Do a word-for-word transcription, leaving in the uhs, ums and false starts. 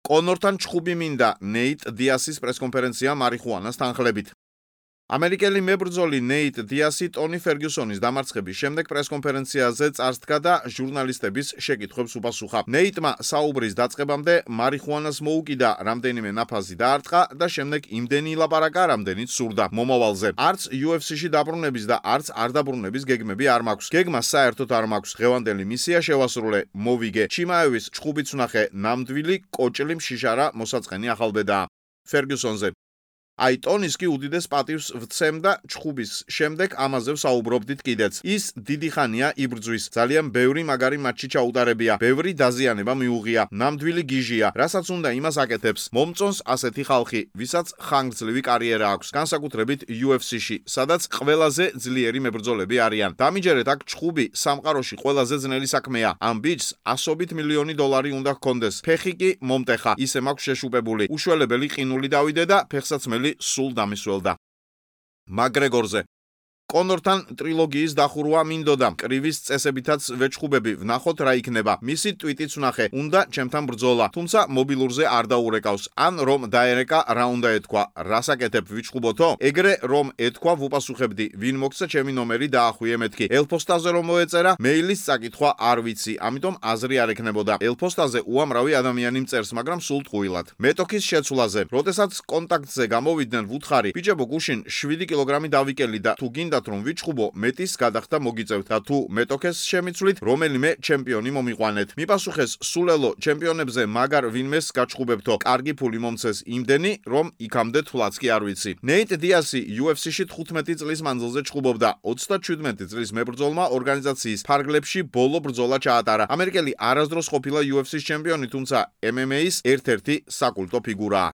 კონორთან ჩხუბი მინდა ნეიტ დიასის პრესკონფერენცია მარიხუანას თანხლებით. ამერიკელი მებრძოლი ნეიტ დიასი ტონი ფერგიუსონის დამარცხების შემდეგ პრესკონფერენციაზე წარსდგა და ჟურნალისტების შეკითხვებს უპასუხა. ნეიტმა საუბრის დაწყებამდე მარიხუანას მოუკიდა, რამდენიმე ნაფაზი დაარტყა და შემდეგ იმდენი ილაპარაკა, რამდენიც სურდა მომავალზე. არც იუ ეფ სი-ში დაბრუნების და არც არ დაბრუნების გეგმები არ მაქვს. გეგმას საერთოდ არ მაქვს. ღევანდელი მისია შევასრულე, მოვიგე. ჩიმაევის ჩხუბიც ვნახე, ნამდვილი კოჭლი მშიშარა მოსაწყენი ახალბედაა. ფერგიუსონზე აი ტონის კი უდიდეს პატივს ვცემდა ჩხუბის შემდეგ ამაზე ვსაუბრობდით კიდეც. ის დიდი ხანია იბრძვის. ძალიან ბევრი მაგარი მატჩი ჩაუტარებია. ბევრი დაზიანება მიუღია. ნამდვილი გიჟია. რასაც უნდა იმას აკეთებს. მომწონს ასეთი ხალხი, ვისაც ხანგრძლივი კარიერა აქვს, განსაკუთრებით იუ ეფ სი-ში, სადაც ყველაზე ძლიერი მებრძოლები არიან. დამიჯერეთ აქ ჩხუბი სამყაროში ყველაზე ძნელი საქმეა. ამ ბიჭს ასობით მილიონი დოლარი უნდა ჰქონდეს. ფეხი კი მომტეხა. ისე მაქვს შეშუპებული. უშველებელი ყინული დავიდე და ფეხსაცმელი სულ დამისველდა. მაკგრეგორზე კონორთან ტრილოგიის დახურვა მინდოდა. კრივის წესებითაც ვეჩხუბები, ვნახოთ რა იქნება. მისი ტვიტიც ვნახე, უნდა ჩემთან ბრძოლა, თუმცა მობილურზე არ დაურეკავს. ან რომ დაერეკა, რა უნდა ეთქვა, რას აკეთებ, ვიჩხუბოთო? ეგრე რომ ეთქვა, ვუპასუხებდი, ვინ მოგცა ჩემი ნომერი დაახვიე მეთქი. ელფოსტაზე რომ მოეწერა, მეილის წაკითხვა არ ვიცი, ამიტომ აზრი არ ექნებოდა. ელფოსტაზე უამრავი ადამიანი მწერს, მაგრამ სულ ტყუილად. მეტოქის შეცვლაზე, როდესაც კონტაქტზე გამოვიდნენ, ვუთხარი, ბიჭებო, გუშინ შვიდი კილოგრამი დავიკელი და თუ გინდა რომ ვიჩხუბო, მეტის გადახდა მოგიწევთ და თუ მეტოქეს შემიცვლით, რომელიმე ჩემპიონი მომიყვანეთ. მიპასუხეს, სულელო, ჩემპიონებზე მაგარ ვინმეს გაჩხუბებთო, კარგი ფული მომცეს იმდენი, რომ იქამდე თვლაც კი არ ვიცი. ნეიტ დიასი იუ ეფ სი-ში თხუთმეტი წლის მანძილზე ჩხუბობდა. ოცდაჩვიდმეტი წლის მებრძოლმა ორგანიზაციის ფარგლებში ბოლო ბრძოლა ჩაატარა. ამერიკელი არასდროს ყოფილა იუ ეფ სი-ის ჩემპიონი, თუმცა ემ ემ ეის ერთ-ერთი საკულტო ფიგურაა.